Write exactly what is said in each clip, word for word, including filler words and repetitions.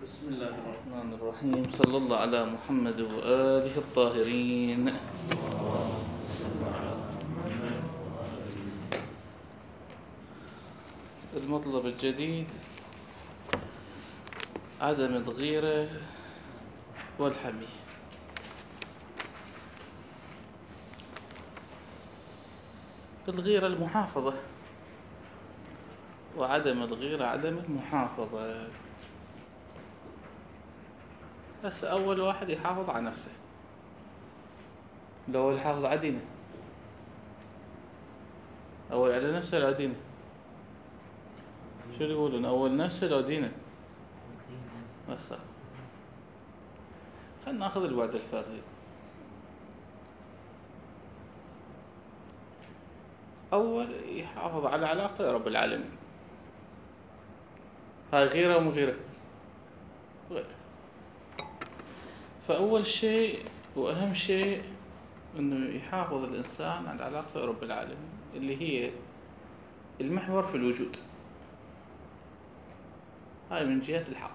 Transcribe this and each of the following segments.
بسم الله الرحمن الرحيم. صلى الله على محمد وآله الطاهرين. المطلب الجديد عدم الغيرة والحمية. الغيرة المحافظة، وعدم الغيرة عدم المحافظة. بس أول واحد يحافظ على نفسه، لو يحافظ على دينه، أول على نفسه لا دينه. شو يقولون؟ أول نفسه لو دينه. بس خلنا ناخذ الوعد الفردي. أول يحافظ على علاقته يا رب العالمين. هاي غيرة ومو غيرة؟ غير. فأول شيء وأهم شيء إنه يحافظ الإنسان على علاقته يا رب العالمين، اللي هي المحور في الوجود. هاي من جهة الحق.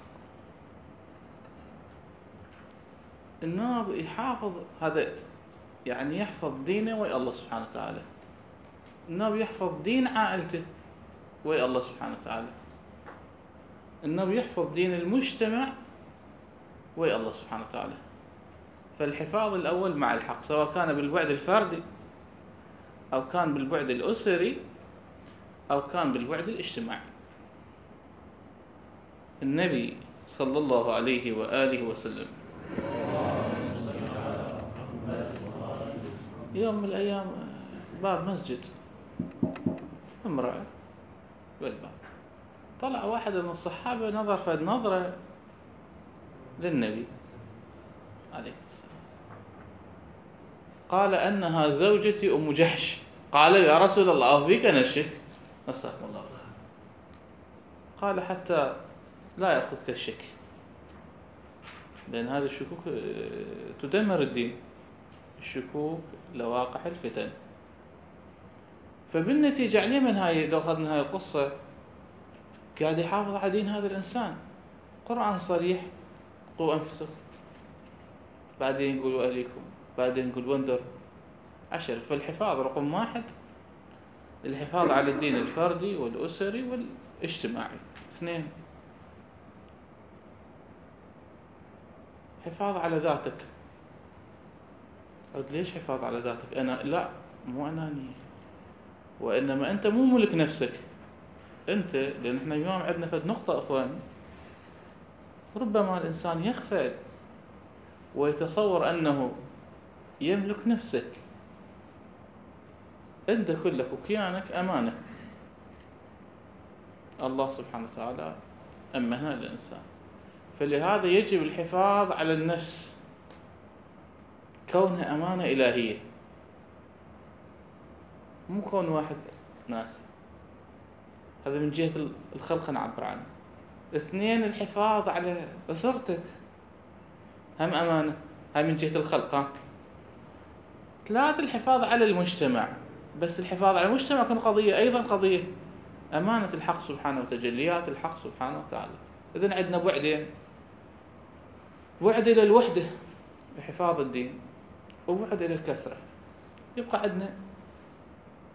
الناب يحافظ، هذا يعني يحفظ دينه ويا الله سبحانه وتعالى. الناب يحفظ دين عائلته ويا الله سبحانه وتعالى. الناب يحفظ دين المجتمع ويا الله سبحانه وتعالى. فالحفاظ الأول مع الحق، سواء كان بالبعد الفردي أو كان بالبعد الأسري أو كان بالبعد الاجتماعي. النبي صلى الله عليه وآله وسلم يوم من الأيام باب مسجد، امرأة بالباب، طلع واحد من الصحابة نظر فد نظرة للنبي عليه السلام، قال أنها زوجتي أم جحش. قال يا رسول الله أفيك نشك؟ نساكم الله بالخير. قال حتى لا يأخذك الشك، لأن هذه الشكوك تدمر الدين. الشكوك لواقح الفتن. فبالنتيجة عليه من هاي، لو أخذنا هاي القصة، قاعد يحافظ على دين هذا الإنسان. قرآن صريح: قوا أنفسكم، بعدين يقول وأهليكم، بعدين يقول وانذر عشر. فالحفاظ رقم واحد الحفاظ على الدين الفردي والأسري والاجتماعي. اثنين، حفاظ على ذاتك. قلت ليش حفاظ على ذاتك؟ أنا لا، مو أناني، وإنما أنت مو ملك نفسك أنت. لأن إحنا اليوم عندنا فد نقطة أخواني، ربما الإنسان يغفل ويتصور أنه يملك نفسه. أنت كلك وكيانك أمانة، الله سبحانه وتعالى أمنها للإنسان. فلهذا يجب الحفاظ على النفس كونها أمانة إلهية، مو كون واحد ناس. هذا من جهة الخلق نعبر عنه. اثنين، الحفاظ على أسرتك هم أمانة، هاي من جهة الخلق. ثلاثة، الحفاظ على المجتمع. بس الحفاظ على المجتمع يكون قضية أيضا قضية أمانة الحق سبحانه وتجليات الحق سبحانه وتعالى. إذن عندنا بعدين: بعد إلى الوحدة بحفاظ الدين، وبعد إلى الكثرة. يبقى عندنا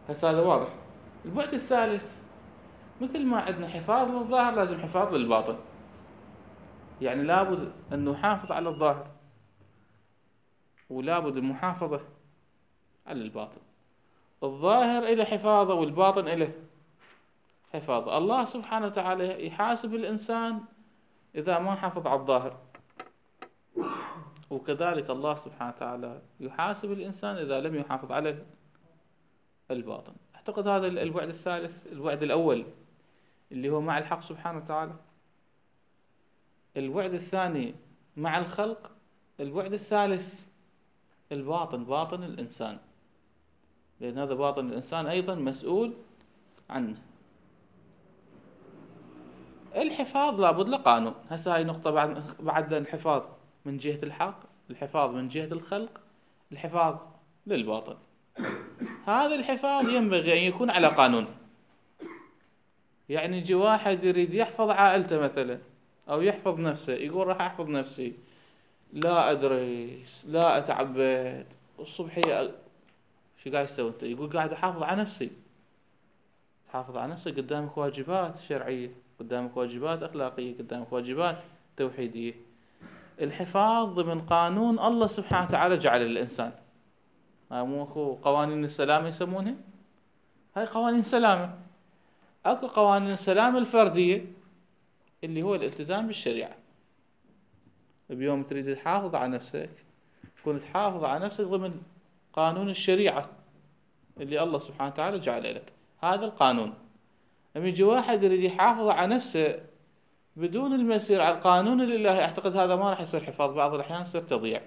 هسه هذا واضح. البعد الثالث، مثل ما عندنا حفاظ للظاهر لازم حفاظ للباطن. يعني لابد أن نحافظ على الظاهر، ولابد المحافظة على الباطن. الظاهر إلى حفاظه والباطن إلى حفاظه. الله سبحانه وتعالى يحاسب الإنسان إذا ما حافظ على الظاهر، وكذلك الله سبحانه وتعالى يحاسب الإنسان إذا لم يحافظ على الباطن. أعتقد هذا البعد الثالث. البعد الأول اللي هو مع الحق سبحانه وتعالى، البعد الثاني مع الخلق، البعد الثالث الباطن، باطن الإنسان، لأن هذا باطن الإنسان أيضا مسؤول عنه. الحفاظ لابد له قانون. هسه هاي نقطة بعد بعد الحفاظ من جهة الحق، الحفاظ من جهة الخلق، الحفاظ للباطن. هذا الحفاظ ينبغي أن يكون على قانون. يعني يجي واحد يريد يحفظ عائلته مثلا أو يحفظ نفسه، يقول راح أحفظ نفسي، لا أدرس، لا أتعبد، الصبحية شو قاعد يسوي أنت؟ يقول قاعد أحافظ على نفسي. تحافظ على نفسك، قدامك واجبات شرعية، قدامك واجبات أخلاقية، قدامك واجبات توحيدية. الحفاظ ضمن قانون الله سبحانه وتعالى جعل للإنسان. هاي مو اكو قوانين السلامة يسمونها؟ هاي قوانين سلامة. اكو قوانين السلامة الفردية اللي هو الالتزام بالشريعة. بيوم تريد تحافظ على نفسك، تكون تحافظ على نفسك ضمن قانون الشريعة اللي الله سبحانه وتعالى جعله لك. هذا القانون. لما يجي واحد يريد يحافظ على نفسه بدون المسير على القانون الإلهي، أعتقد هذا ما راح يصير حفاظ، بعض الأحيان يصير تضييع.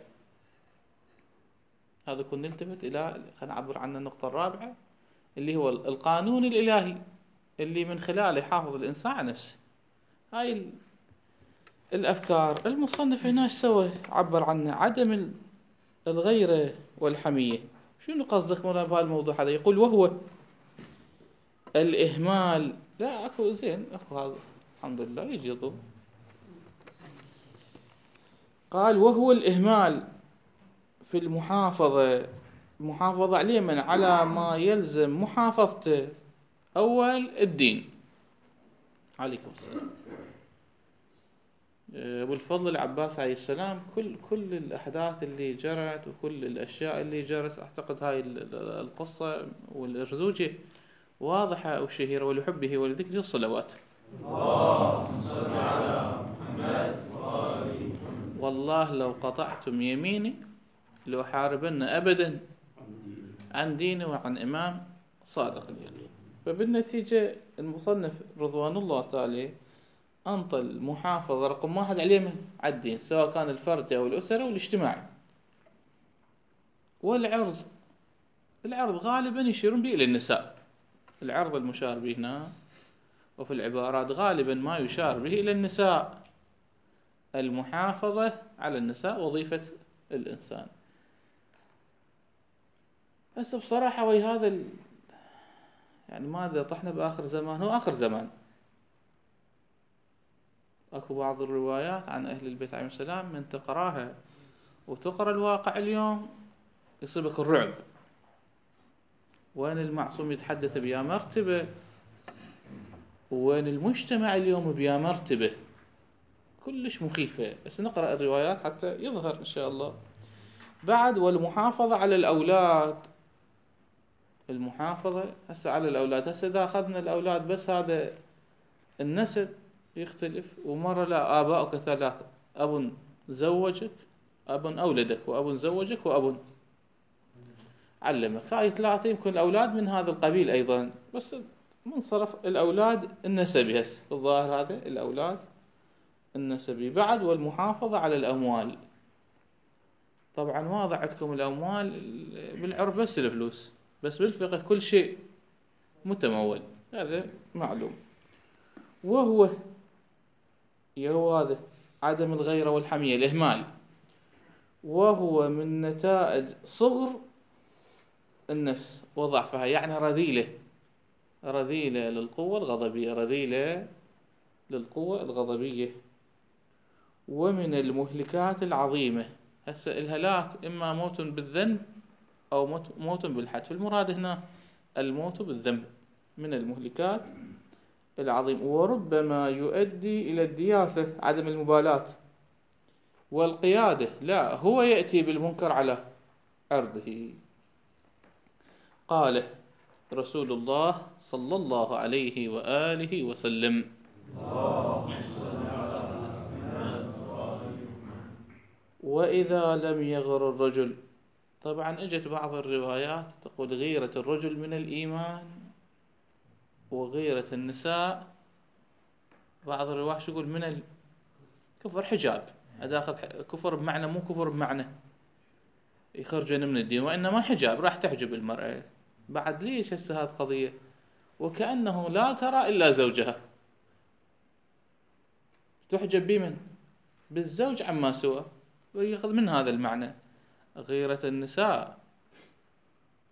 هذا كنا نلتفت إلى، خلينا نعبر عن النقطة الرابعة اللي هو القانون الإلهي اللي من خلاله يحافظ الإنسان على نفسه. هاي الأفكار. المصنف هنا سوى عبر عنه عدم الغيرة والحمية. شنو قصدك مولانا بهالموضوع هذا؟ يقول وهو الإهمال. لا أكو زين، أكو هذا الحمد لله يجي ضوء. قال وهو الإهمال في المحافظة، المحافظة عليه من على ما يلزم محافظته. أول الدين. عليكم السلام. أبو الفضل العباس عليه السلام، كل كل الأحداث اللي جرت وكل الأشياء اللي جرت، أعتقد هاي القصة والأرزوجة واضحة وشهيرة. ولحبه ولذكره الصلوات. اللهم صل على محمد وآل محمد. والله لو قطعتم يميني لأحاربن أبدا عن ديني وعن إمام صادق اليقين. فبالنتيجة المصنف رضوان الله تعالى أنطى المحافظة رقم واحد عليه من على الدين، سواء كان الفردي أو الأسرة والاجتماعي. والعرض، العرض غالبا يشيرون به إلى النساء. العرض المشار به هنا وفي العبارات غالبا ما يشار به إلى النساء. المحافظة على النساء وظيفة الإنسان. بس بصراحة وي هذا ال... يعني ماذا طحنا بآخر زمان، هو آخر زمان. أكو بعض الروايات عن أهل البيت عليهم السلام من تقراها وتقرأ الواقع اليوم يصيبك الرعب. وين المعصوم يتحدث بيا مرتبة، وين المجتمع اليوم بيا مرتبة كلش مخيفة. بس نقرأ الروايات حتى يظهر إن شاء الله. بعد والمحافظة على الأولاد. المحافظة هسه على الأولاد. هسه إذا أخذنا الأولاد بس هذا النسب يختلف، ومرة لا آباؤك ثلاثة، أب زوجك، أب أولدك، وأب زوجك، وأب علمك. هاي ثلاثة يمكن الأولاد من هذا القبيل أيضا، بس منصرف الأولاد النسبي. هسه الظاهر هذا الأولاد النسبي. بعد والمحافظة على الأموال. طبعا واضح عندكم الأموال بالعرب بس الفلوس، بس بالفقه كل شيء متمول، هذا معلوم. وهو يهو هذا عدم الغيرة والحمية، الإهمال، وهو من نتائج صغر النفس وضعفها. يعني رذيلة، رذيلة للقوة الغضبية، رذيلة للقوة الغضبية. ومن المهلكات العظيمة. هسه الهلاك إما موت بالذنب أو موت, موت بالحدث. المراد هنا الموت بالذنب من المهلكات العظيم. وربما يؤدي إلى الدياثة، عدم المبالاة والقيادة. لا، هو يأتي بالمنكر على عرضه. قال رسول الله صلى الله عليه وآله وسلم: وإذا لم يغر الرجل. طبعا اجت بعض الروايات تقول غيرة الرجل من الإيمان، وغيرة النساء بعض الروايات يقول من الكفر حجاب. هذا أخذ كفر بمعنى، مو كفر بمعنى يخرجون من الدين، وإنما حجاب، راح تحجب المرأة. بعد ليش هسه هذه قضية؟ وكأنه لا ترى إلا زوجها، تحجب بمن؟ بالزوج عما سوى. ويأخذ من هذا المعنى غيرة النساء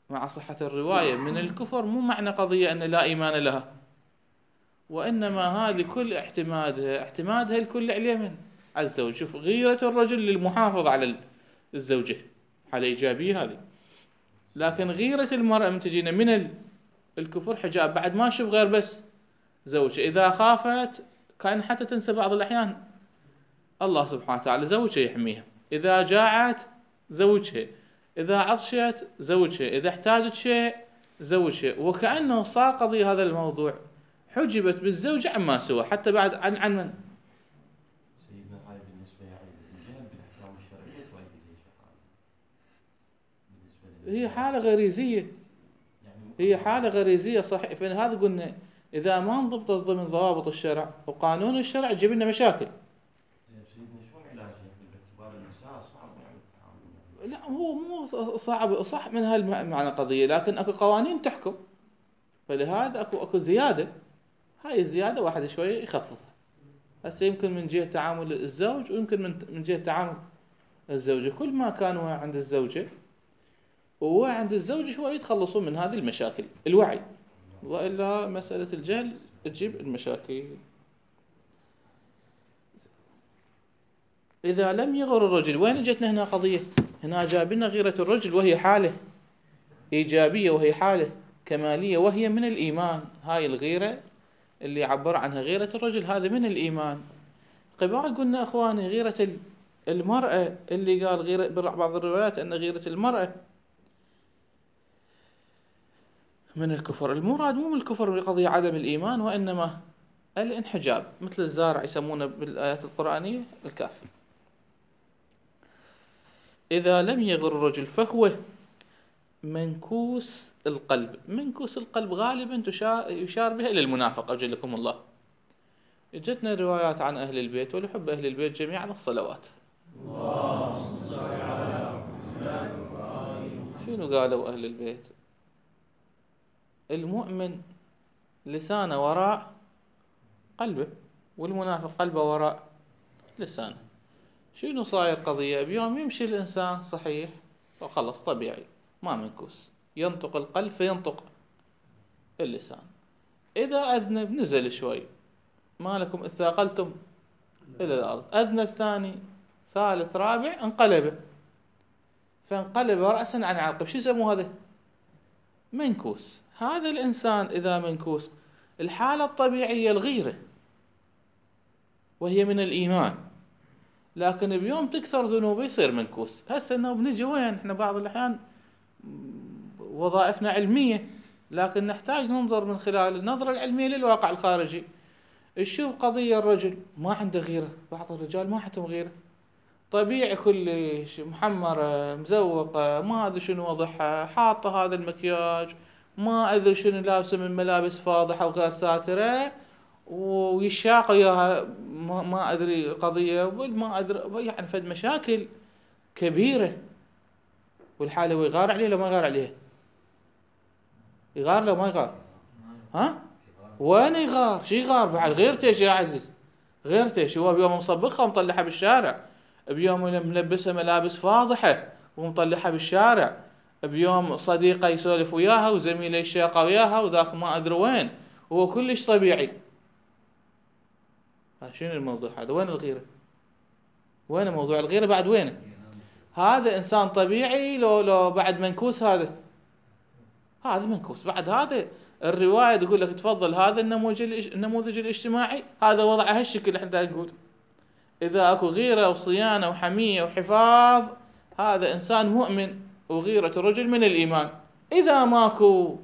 مع صحة الرواية من الكفر، مو معنى قضية أن لا إيمان لها، وإنما هذه كل اعتمادها اعتمادها الكل عليه من على الزوج. شوف غيرة الرجل للمحافظة على الزوجة، حالة إيجابية هذه. لكن غيرة المرأة من تجينا من الكفر حجاب، بعد ما تشوف غير بس زوجها. إذا خافت كان حتى تنسى بعض الأحيان الله سبحانه وتعالى، زوجها يحميها. إذا جاعت زوجها، إذا عطشت زوجها، إذا احتاجت شيء زوجها. وكأنه صار قضية هذا الموضوع حجبت بالزوجة عما سوى، حتى بعد عن عن من سيدنا هاي بالنسبة يعني الرجال بالأحكام الشرعية تؤدي ليش حالة؟ هي حالة غريزية، هي حالة غريزية صحيح. فهذا قلنا إذا ما انضبطت ضمن ضوابط الشرع وقانون الشرع تجيب لنا مشاكل. سيدنا شلون علاجها باعتبار النساء صعب يعني التعامل؟ لا هو مو صعب، صح من هالمعنى قضية، لكن اكو قوانين تحكم، فلهذا اكو اكو زيادة. هاي الزيادة واحد شوية يخفضها. هسه يمكن من جهة تعامل الزوج، ويمكن من من جهة تعامل الزوجة. كل ما كان عند الزوجة وعند الزوج شوية يتخلصون من هذه المشاكل، الوعي. وإلا مسألة الجهل تجيب المشاكل. إذا لم يغر الرجل، وين جتنا هنا قضية؟ هنا جاب لنا غيرة الرجل وهي حالة إيجابية، وهي حالة كمالية، وهي من الإيمان. هاي الغيرة اللي عبر عنها غيرة الرجل هذا من الإيمان. قبال قلنا أخواني غيرة المرأة، اللي قال غيرة بعض الروايات أن غيرة المرأة من الكفر. المراد مو من الكفر بقضية عدم الإيمان، وإنما الانحجاب، مثل الزارع يسمونه بالآيات القرآنية الكافر. إذا لم يغر الرجل فهو منكوس القلب. منكوس القلب غالبا يشار بها إلى المنافق أجلكم الله. جتنا روايات عن أهل البيت ولحب أهل البيت جميعا الصلوات. شنو قالوا أهل البيت؟ المؤمن لسانه وراء قلبه، والمنافق قلبه وراء لسانه. شنو صاير قضية؟ بيوم يمشي الإنسان صحيح وخلص طبيعي ما منكوس، ينطق القلب فينطق اللسان. إذا أذنب نزل شوي، ما لكم إذ ثاقلتم إلى الأرض. أذنب ثاني ثالث رابع انقلب، فانقلب رأسا عن عقب. شو يسموه هذا؟ منكوس. هذا الإنسان إذا منكوس، الحالة الطبيعية الغيرة وهي من الإيمان، لكن بيوم تكثر ذنوبه يصير منكوس. هسه انه بنجي وين احنا بعض الأحيان وظائفنا علمية، لكن نحتاج ننظر من خلال النظرة العلمية للواقع الخارجي. تشوف قضية الرجل ما عنده غيرة، بعض الرجال ما عندهم غيرة، طبيعي كلش، محمرة مزوقة، ما أدري شنو وضعها، حاطة هذا المكياج، ما أدري شنو لابسة من ملابس فاضحة وغير ساترة، ويشاق وياها ما, ما أدري قضية، ما أدري يعني فد مشاكل كبيرة. والحالة هو يغار عليها لو ما يغار عليها؟ يغار لو ما يغار؟ ها؟ وين يغار؟ شي يغار بعد؟ غيرتش يا عزيز، غيرتش. هو بيوم مصبخها ومطلعها بالشارع، بيوم ملبسها ملابس فاضحة ومطلعها بالشارع، بيوم صديقة يسولف وياها وزميله يشاقى وياها وذاك ما أدري وين، هو كلش طبيعي. شنو الموضوع هذا؟ وين الغيرة؟ وين موضوع الغيرة بعد؟ وينه؟ هذا إنسان طبيعي لو لو بعد منكوس؟ هذا هذا منكوس بعد. هذا الرواية تقول لك تفضل هذا النموذج النموذج الاجتماعي، هذا وضعه هالشكل. احنا نقول إذا أكو غيرة وصيانة وحمية وحفاظ، هذا إنسان مؤمن، وغيرة الرجل من الإيمان. إذا ماكو،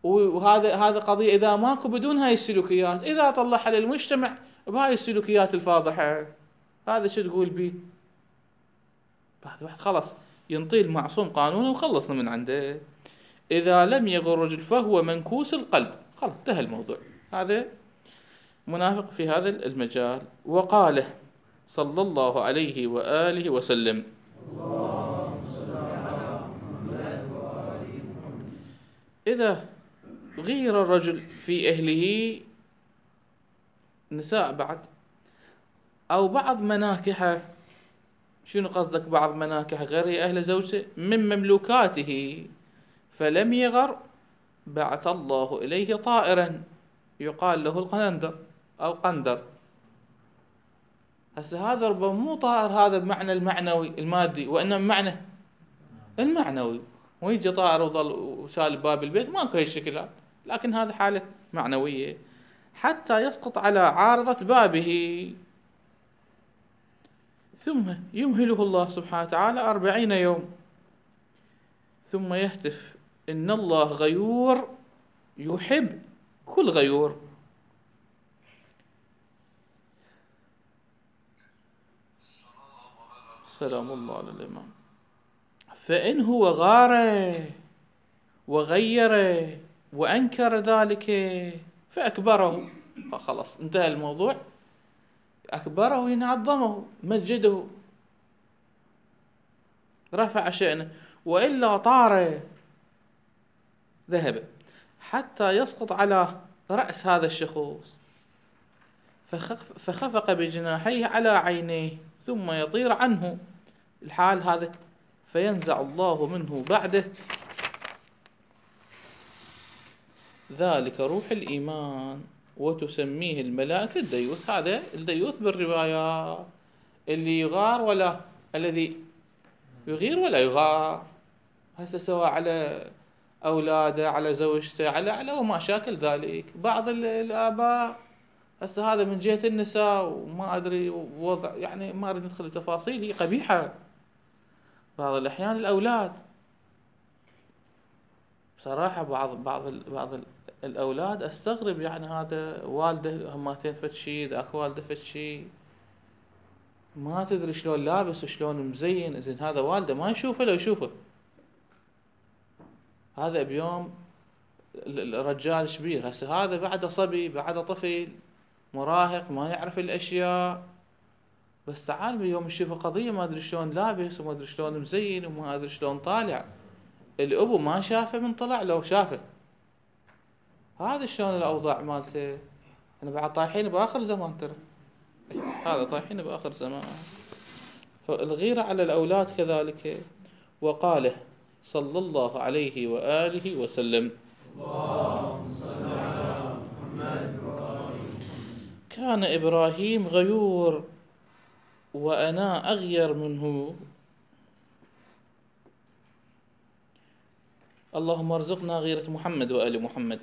وهذا هذا قضية، إذا ماكو بدون هاي السلوكيات، إذا طلعها للمجتمع بهاي السلوكيات الفاضحة، هذا شو تقول بيه؟ بعد واحد خلص ينطي المعصوم قانونه وخلصنا من عنده. إذا لم يغر الرجل فهو منكوس القلب. خلص انتهى الموضوع. هذا منافق في هذا المجال. وقاله صلى الله عليه وآله وسلم: إذا غير الرجل في أهله، نساء بعد، أو بعض مناكحه. شنو قصدك بعض مناكحه؟ غير أهل زوجته من مملوكاته، فلم يغر بعث الله إليه طائرا يقال له القندر أو قندر. هسه هذا ربما مو طائر هذا بمعنى المعنوي المادي، وإنما بمعنى المعنوي، ويجي طائر وظل وشال باب البيت، ماكو هاي الشكل، لكن هذا حالة معنوية. حتى يسقط على عارضة بابه، ثم يمهله الله سبحانه وتعالى أربعين يوم، ثم يهتف إن الله غيور يحب كل غيور. سلام الله على الإمام. فإن هو غار وغير وأنكر ذلك فأكبره، فخلص انتهى الموضوع، أكبره ينعظمه مجده رفع شأنه، وإلا طار ذهب حتى يسقط على رأس هذا الشخوص فخفق بجناحيه على عينيه ثم يطير عنه الحال هذا، فينزع الله منه بعده ذلك روح الإيمان وتسميه الملائكة الديوث. هذا الديوث بالروايات اللي يغار ولا الذي يغير ولا يغار، هسه سواء على أولاده على زوجته على على وما شاكل ذلك. بعض الآباء هسه هذا من جهة النساء وما أدري وضع، يعني ما أريد ندخل بتفاصيل هي قبيحة. بعض الأحيان الأولاد بصراحة بعض بعض بعض الأولاد أستغرب، يعني هذا والده هماتين فتشي ذاك والده فتشي، ما تدري شلون لابس وشلون مزين، زين هذا والده ما يشوفه لو يشوفه. هذا بيوم الرجال شبير، هسه هذا بعده صبي بعده طفل مراهق ما يعرف الأشياء، بس تعال بيوم يشوف قضية ما أدري شلون لابس وما أدري شلون مزين وما أدري شلون طالع، الأبو ما شافه من طلع لو شافه. هذا شلون الأوضاع مالته. أنا بعد طايحين بآخر زمان ترى، هذا طايحين بآخر زمان. فالغيرة على الأولاد كذلك. وقاله صلى الله عليه وآله وسلم كان إبراهيم غيور وأنا أغير منه. اللهم ارزقنا غيرة محمد وآل محمد.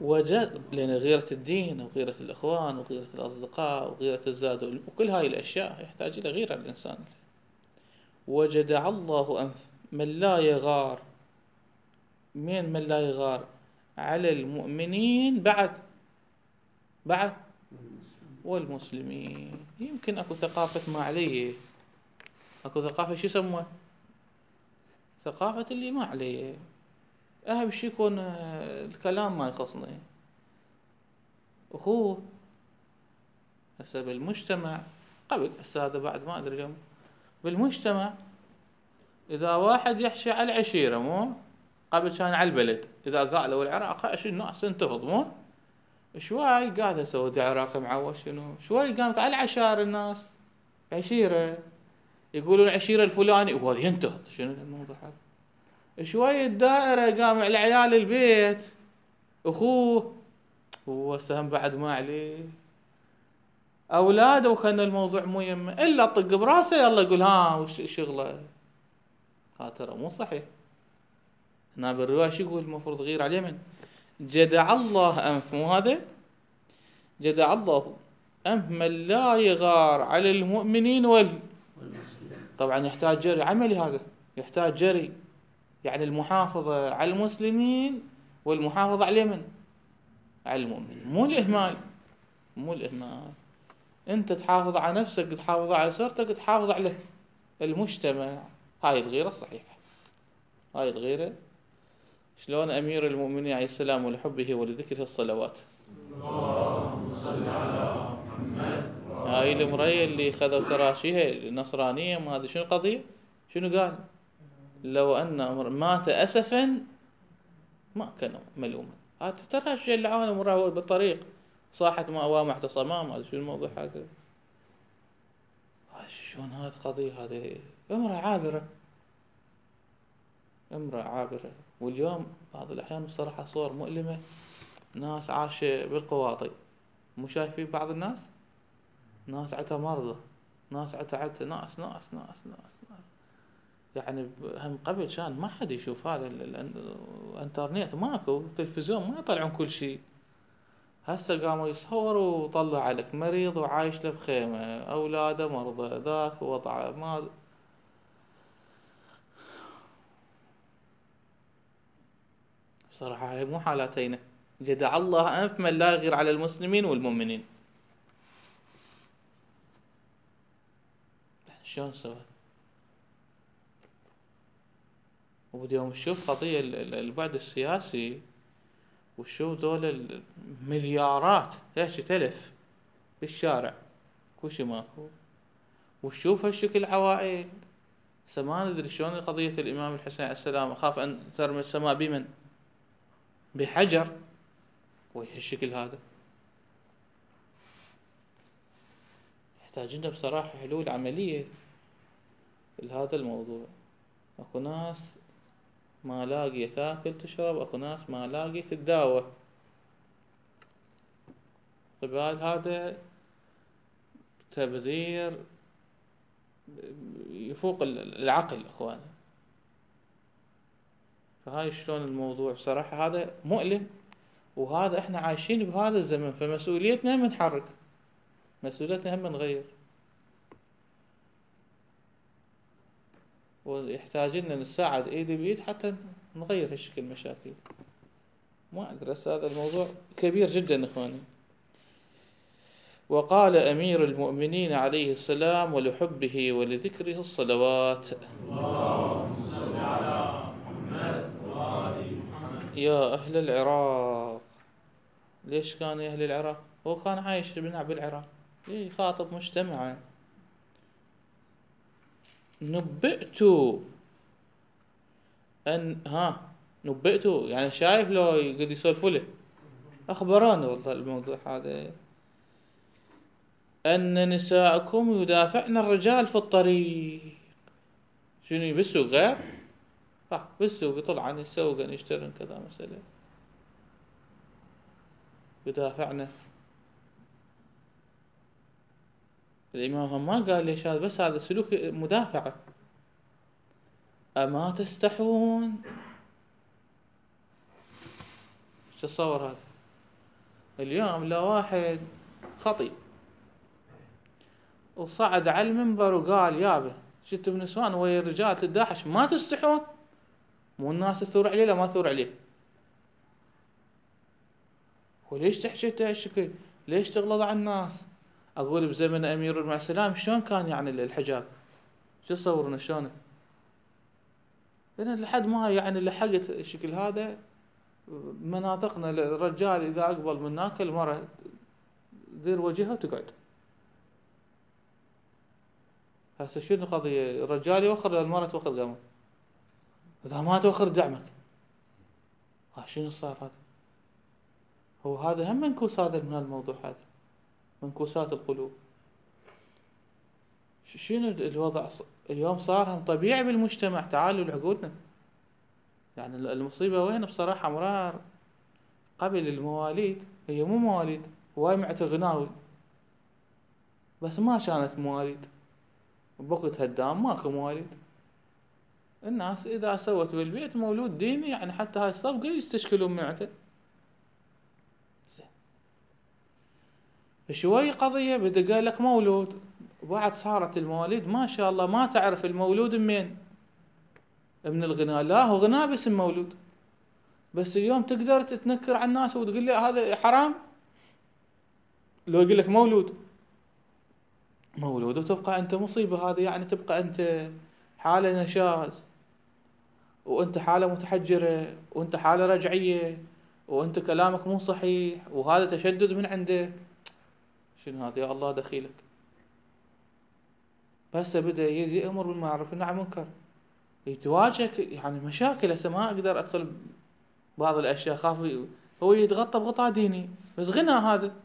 وجد لأن غيرة الدين وغيرة الإخوان وغيرة الأصدقاء وغيرة الزاد وكل هاي الأشياء يحتاج إلى غيرة الإنسان. وجدع الله أنف من لا يغار، من من لا يغار على المؤمنين بعد بعد والمسلمين. يمكن أكو ثقافة ما عليه، أكو ثقافة شو يسموها ثقافة اللي ما عليه، أهم شيء يكون الكلام ما يخصني أخوه. هسه بالمجتمع قبل هسه هذا بعد ما أدري كم بالمجتمع، إذا واحد يحشي على العشيرة مو قبل كان على البلد، إذا قالوا العراق أشي الناس تنتفض مو شوي قاعد أسوي العراق معوش شنو شوي قامت على العشائر الناس عشيرة يقولون العشيرة الفلاني وهذا ينتهض شنو الموضوع هذا. شوي الدائرة قام على عيال البيت أخوه هو سهم بعد ما عليه أولاده، وكان الموضوع مو يمه إلا طق براسه يلا يقول ها وش شغله. هذا ترى مو صحيح. هنا بالرواية شو يقول المفروض غير على اليمن جدع الله أنف، مو هذا جدع الله أنف من لا يغار على المؤمنين وال طبعا يحتاج جري عملي، هذا يحتاج جري، يعني المحافظة على المسلمين والمحافظة على اليمن على المؤمن، مو الإهمال مو الإهمال. أنت تحافظ على نفسك، تحافظ على أسرتك، تحافظ على المجتمع. هاي الغيرة الصحيحة، هاي الغيرة. شلون أمير المؤمنين عليه السلام ولحبه ولذكره الصلوات اللهم صل على محمد. هاي المرية اللي خذوا تراشيها النصرانية ما هذا شنو القضية شنو قال لو أن أمر مات أسفا ما كان ملوما. هذا تراشي اللعانة مراه بالطريق صاحت ما أوام اعتصاما ما شو الموضوع هذا. شلون هذا قضية هذه أمرها عابرة امرأة عابرة. واليوم بعض الأحيان بصراحة صور مؤلمة، ناس عايشة بالقواطي، مو شايفين بعض الناس، ناس عتا مرضى، ناس عتا عتا ناس ناس ناس ناس ناس يعني هم قبل كان ما حد يشوف هذا، الانترنت ماكو، التلفزيون ما يطلعون كل شيء. هسه قاموا يصوروا وطلع لك مريض وعايش له بخيمة، أولاده مرضى، ذاك وضعه ما. بصراحة هاي مو حالاتينا. جدع الله أنف من لا يغير على المسلمين والمؤمنين. شلون سوى؟ وبديهم نشوف قضية البعد السياسي، وشوف ذول المليارات ليش تلف بالشارع كوشي ماكو، وشوف هالشكل عوائل. سما ندري شلون قضية الإمام الحسين عليه السلام، أخاف أن ترمي السماء بمن؟ بحجر. وهالشكل هذا يحتاج لنا بصراحة حلول عملية لهذا الموضوع. اكو ناس ما لاقية تاكل تشرب، اكو ناس ما لاقية تتداوى. قبال هذا تبذير يفوق العقل اخوان. فهاي شلون الموضوع بصراحة هذا مؤلم، وهذا احنا عايشين بهذا الزمن، فمسؤوليتنا هم نحرك، مسؤوليتنا هم نغير، ويحتاج لنا نساعد ايد بيد حتى نغير هالشكل المشاكل. ما ادري هذا الموضوع كبير جدا اخواني. وقال أمير المؤمنين عليه السلام ولحبه ولذكره الصلوات: اللهم صل على محمد وآل محمد. يا أهل العراق. ليش كان يا أهل العراق؟ هو كان عايش بالعراق، يخاطب مجتمعه. نبئت أن ها نبئت يعني شايف لو يقعد يسولفوا له، أخبراني والله الموضوع هذا، أن نساءكم يدافعن الرجال في الطريق. شنو بالسوق غير؟ ها بالسوق يطلعن يسوقن يشترن كذا مسألة، يدافعن. الإمام هم ما قال ليش هذا، بس هذا سلوك مدافعة. أما تستحون؟ شو تصور هذا؟ اليوم لا واحد خطيب وصعد على المنبر وقال يابا شتوا بنسوان ويا الرجال تداحش، ما تستحون؟ مو الناس تثور عليه لا ما تثور عليه؟ وليش تحكي هالشكل؟ ليش تغلظ على الناس؟ اقول بزمن امير المؤمنين السلام شلون كان يعني الحجاب؟ شو تصورون شلون؟ لان لحد ما يعني لحقت الشكل هذا مناطقنا، الرجال اذا اقبل من هناك المرأة تدير وجهها وتقعد. هسه شنو القضية؟ الرجال يوخر، المرأة توخر قامه، اذا ما توخر دعمك. ها شنو صار هذا؟ هو هذا هم منكوس هذا من الموضوع، هذا منكوسات القلوب. شنو الوضع اليوم؟ صار هم طبيعي بالمجتمع. تعالوا لعقولنا، يعني المصيبة وين بصراحة مرار. قبل المواليد هي مو مواليد، هواي معت غناوي بس ما كانت مواليد. بوقت هدام ماكو مواليد. الناس اذا سوت بالبيت مولود ديني يعني حتى هاي الصفقة يستشكلون معته. شوي قضية بدأ قال لك مولود، وبعد صارت المواليد ما شاء الله ما تعرف المولود منين، من الغناء. لا هو غناء باسم مولود، بس اليوم تقدر تتنكر على الناس وتقول لي هذا حرام لو يقول لك مولود مولود وتبقى انت مصيبة. هذه يعني تبقى انت حالة نشاز، وانت حالة متحجرة، وانت حالة رجعية، وانت كلامك مو صحيح، وهذا تشدد من عندك. شنو هذا يا الله دخيلك؟ بس بدأ يأمر بالمعروف والنهي عن المنكر، يتواجهك يعني مشاكل. هسه ما اقدر ادخل بعض الاشياء، خاف هو يتغطى بغطاء ديني بس غنى. هذا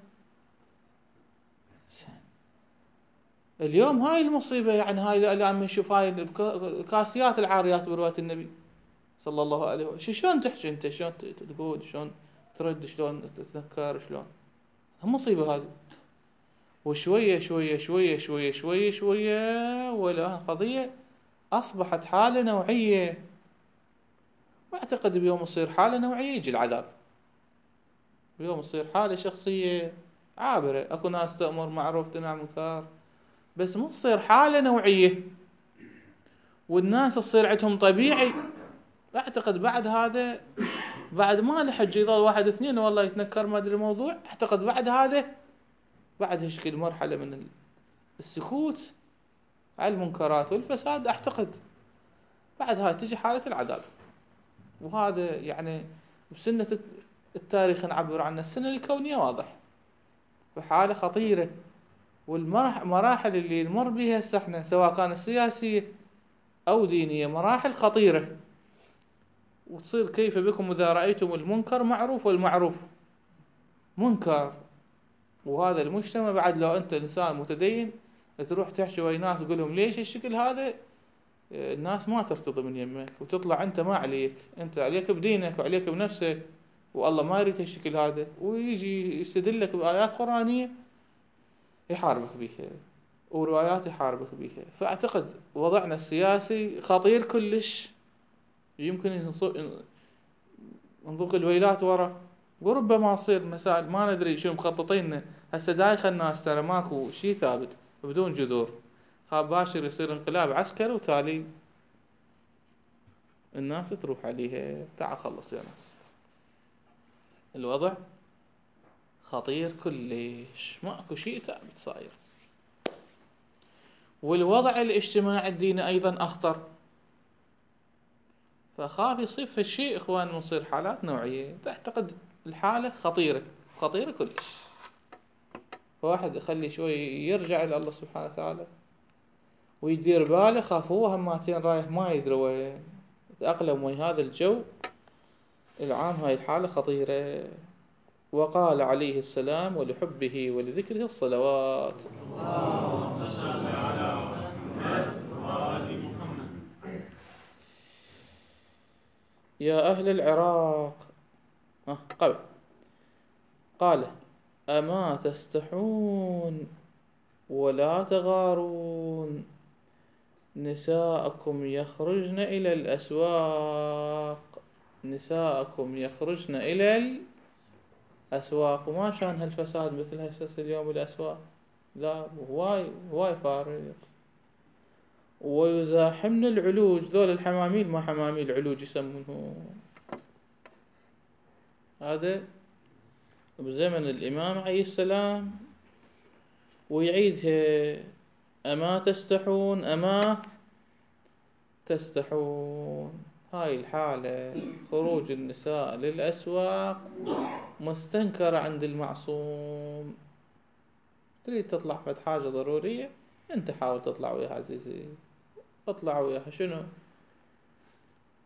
اليوم هاي المصيبة، يعني هاي اللي عم نشوف هاي الكاسيات العاريات برواية النبي صلى الله عليه وسلم. شلون تحكي انت، شلون تقول، شلون ترد، شلون تتنكر، شلون مصيبة هذه. وشوية شوية شوية شوية شوية شوية ولا قضية أصبحت حالة نوعية. واعتقد بيوم يصير حالة نوعية يجي العذاب، بيوم يصير حالة شخصية عابرة. اكو ناس تأمر معروف تنهى عن منكر، بس مو تصير حالة نوعية والناس تصير عندهم طبيعي. اعتقد بعد هذا، بعد ما لحج يظل واحد اثنين والله يتنكر ما ادري الموضوع، اعتقد بعد هذا، بعد هشكل مرحلة من السكوت على المنكرات والفساد، اعتقد بعد هاي تجي حالة العذاب. وهذا يعني بسنة التاريخ نعبر عنه، السنة الكونية واضح بحالة خطيرة. والمراحل اللي نمر بها هسه احنا سواء كانت سياسية او دينية مراحل خطيرة. وتصير كيف بكم اذا رأيتم المنكر معروف والمعروف منكر. وهذا المجتمع بعد لو انت انسان متدين تروح تحكي ويا ناس تقول لهم ليش الشكل هذا، الناس ما ترتضي من يمك، وتطلع انت ما عليك، انت عليك بدينك وعليك بنفسك، والله ما يريد الشكل هذا، ويجي يستدلك بآيات قرآنية يحاربك بيها وروايات يحاربك بيها. فاعتقد وضعنا السياسي خطير كلش، يمكن نضوق الويلات ورا، وربما تصير مسائل ما ندري شو مخططين هسه. دايخ الناس ترى ماكو شيء ثابت بدون جذور، خاب باشر يصير انقلاب عسكري وتالي الناس تروح عليها. تعال خلص يا ناس، الوضع خطير كلش، ماكو شيء ثابت صاير. والوضع الاجتماعي الديني ايضا اخطر، فخاف يصير في الشيء اخوان نصير حالات نوعية. تعتقد الحالة خطيرة خطيرة كلش. واحد يخلي شوي يرجع إلى الله سبحانه وتعالى ويدير باله، خاف هو هماتين رايح ما يدري وين يتأقلم ويا هذا الجو العام. هاي الحالة خطيرة. وقال عليه السلام ولحبه ولذكره الصلوات. اللهم صل على محمد وآل محمد. يا أهل العراق، آه قبل قال أما تستحون ولا تغارون، نساءكم يخرجن إلى الأسواق، نساءكم يخرجن إلى الأسواق. وما شان هالفساد مثل هسه اليوم بالأسواق، لا هواي هواي فارق. ويزاحمن العلوج، ذول الحماميل ما حماميل علوج يسمونه، هذا بزمن الإمام عليه السلام. ويعيدها أما تستحون أما تستحون. هاي الحالة خروج النساء للأسواق مستنكرة عند المعصوم. تريد تطلع فد حاجة ضرورية انت حاول تطلع وياها عزيزي، اطلع وياها. شنو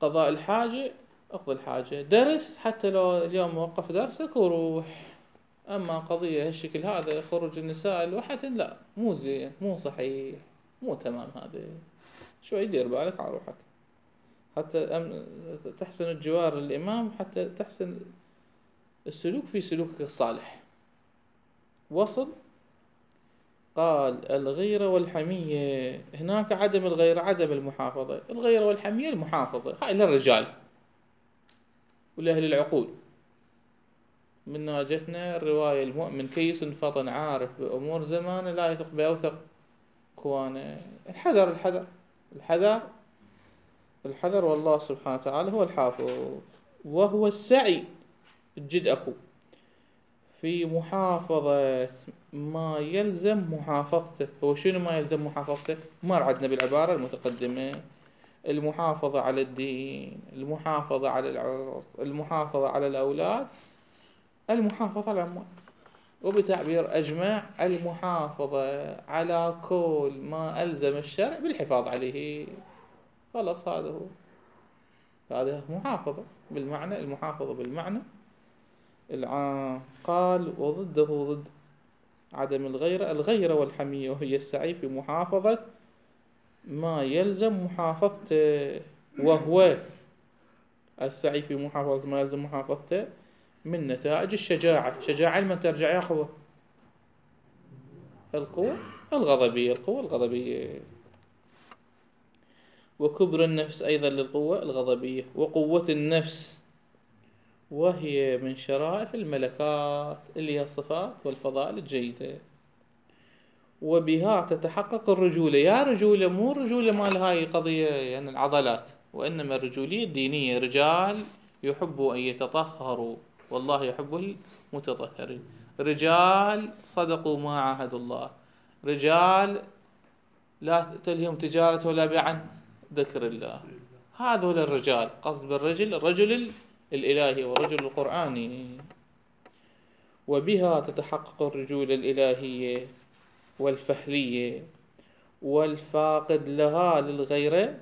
قضاء الحاجة، اقضي الحاجة. درس حتى لو اليوم موقف درسك وروح. اما قضية هالشكل هذا خروج النساء لوحدهن لا، مو زين، مو صحيح، مو تمام. هذا شوي دير بالك على روحك حتى تحسن الجوار للإمام، حتى تحسن السلوك في سلوكك الصالح. وصل. قال الغيرة والحمية، هناك عدم الغيرة عدم المحافظة، الغيرة والحمية المحافظة. هاي للرجال ولأهل العقول. من ناجتنا الرواية المؤمن كيس فطن عارف بأمور زمانه لا يثق بأوثق اخوانه. الحذر الحذر الحذر الحذر، والله سبحانه وتعالى هو الحافظ. وهو السعي الجد أكو في محافظة ما يلزم محافظته. هو شنو ما يلزم محافظته؟ مر عدنا بالعبارة المتقدمة: المحافظة على الدين، المحافظة على العرض، المحافظة على الأولاد، المحافظة على الأموال. وبتعبير أجمع المحافظة على كل ما ألزم الشرع بالحفاظ عليه. خلاص هذا هو، هذا محافظة بالمعنى، المحافظة بالمعنى العام. قال وضده ضد عدم الغيرة الغيرة والحمية، وهي السعي في محافظة ما يلزم محافظته. وهو السعي في محافظة ما يلزم محافظته من نتائج الشجاعة. شجاعة لمن ترجع يا أخوة؟ القوة الغضبية، القوة الغضبية. وكبر النفس أيضا للقوة الغضبية. وقوة النفس وهي من شرائف الملكات اللي هي الصفات والفضائل الجيدة، وبها تتحقق الرجولة. يا رجولة، مو رجولة مال هاي قضية يعني العضلات، وإنما الرجولية الدينية. رجال يحبوا أن يتطهروا والله يحب المتطهرين. رجال صدقوا ما عاهدوا الله. رجال لا تلهم تجارة ولا بيع عن ذكر الله. هذول الرجال، قصد بالرجل الرجل الإلهي والرجل القرآني. وبها تتحقق الرجولة الإلهية والفهلية، والفاقد لها للغيرة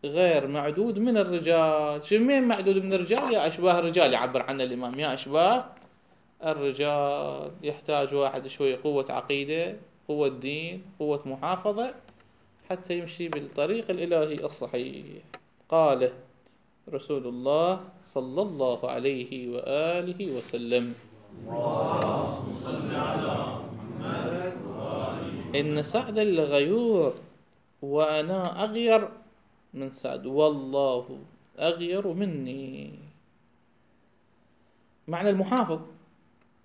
غير معدود من الرجال. شو مين معدود من الرجال؟ يا أشباه الرجال يعبر عنه الإمام، يا أشباه الرجال. يحتاج واحد شوية قوة عقيدة، قوة دين، قوة محافظة، حتى يمشي بالطريق الإلهي الصحيح. قال رسول الله صلى الله عليه وآله وسلم: إن سعدا لغيور وأنا أغير من سعد، والله أغير مني. معنى المحافظ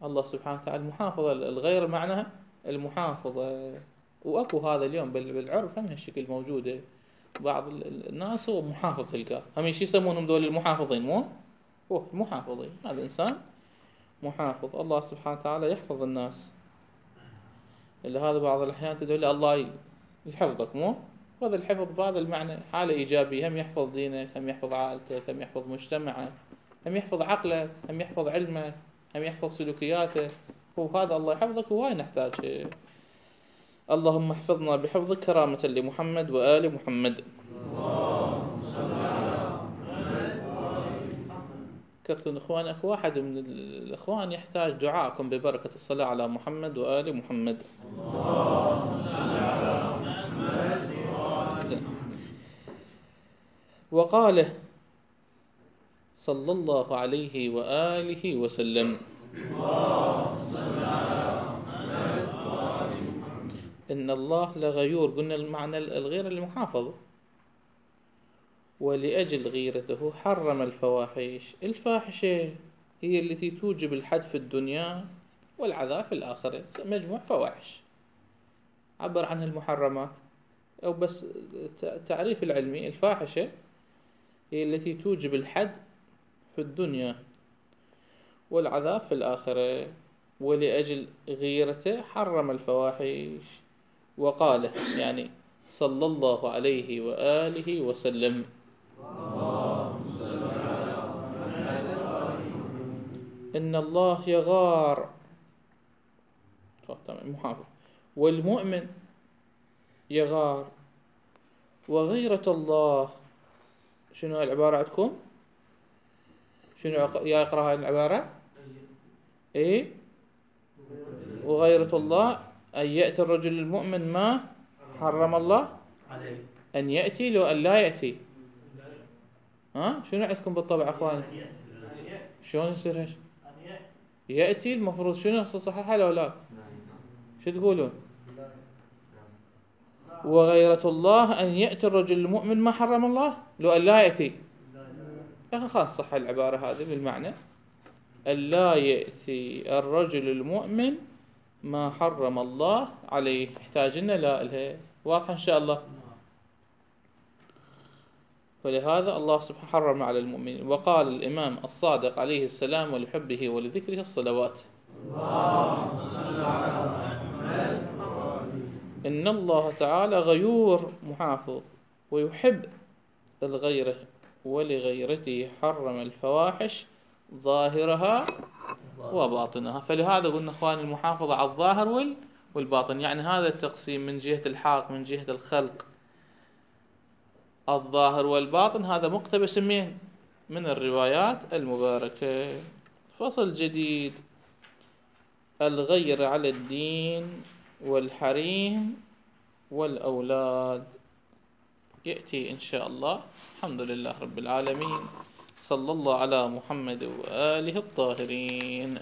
الله سبحانه وتعالى. المحافظة الغير معناها المحافظة. وأكو هذا اليوم بالعرف هم هالشكل موجودة. بعض الناس هو محافظ تلقاه، هم ايش يسمونهم دول المحافظين؟ مو هو محافظين. هذا إنسان محافظ. الله سبحانه وتعالى يحفظ الناس. إلا هذا بعض الأحيان تدعي الله يحفظك، مو هذا الحفظ بهذا المعنى حالة إيجابية. هم يحفظ دينك، هم يحفظ عائلتك، هم يحفظ مجتمعك، هم يحفظ عقلك، هم يحفظ علمك، هم يحفظ سلوكياتك. هو هذا الله يحفظك، وهاي نحتاج. اللهم احفظنا بحفظك كرامة لمحمد وآل محمد. كرتون إخوان، أكو واحد من الإخوان يحتاج دعاءكم ببركة الصلاة على محمد وآل محمد. وقال صلى الله عليه وآله وسلم: إن الله لغيور. قلنا المعنى الغير المحافظة. ولأجل غيرته حرم الفواحش. الفاحشة هي التي توجب الحد في الدنيا والعذاب في الآخرة. مجموع فواحش عبر عنها المحرمات، أو بس تعريف العلمي: الفاحشة هي التي توجب الحد في الدنيا والعذاب في الآخرة. ولأجل غيرته حرم الفواحش. وقال يعني صلى الله عليه وآله وسلم: إن الله يغار محافظ، والمؤمن يغار. وغيرة الله شنو العبارة عندكم؟ شنو يا يقرأ هاي العبارة؟ إيه؟ وغيرة الله أن يأتي الرجل المؤمن ما حرم الله عليه، أن يأتي لو أن لا يأتي. ها شنو عندكم بالطبع أخوان؟ شلون يصير هيك؟ يأتي المفروض شنو صحيحة لو لا؟ شو تقولون؟ وغيرة الله أن يأتي الرجل المؤمن ما حرم الله لو أن لا يأتي. يا أخي خلاص صح العبارة هذه بالمعنى أن لا يأتي الرجل المؤمن ما حرم الله عليه. احتاجنا لا إلها واضحة إن شاء الله. ولهذا الله سبحانه حرم على المؤمنين. وقال الإمام الصادق عليه السلام ولحبه ولذكره الصلوات: إن الله تعالى غيور محافظ ويحب الغيرة، ولغيرته حرم الفواحش ظاهرها وباطنها. فلهذا قلنا أخواني المحافظة على الظاهر والباطن. يعني هذا التقسيم من جهة الحق من جهة الخلق الظاهر والباطن هذا مقتبس من من الروايات المباركة. فصل جديد: الغير على الدين والحريم والأولاد. يأتي إن شاء الله. الحمد لله رب العالمين. صلى الله على محمد وآله الطاهرين.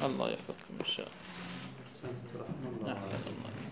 الله يحفظكم إن شاء الله. أحسن الله.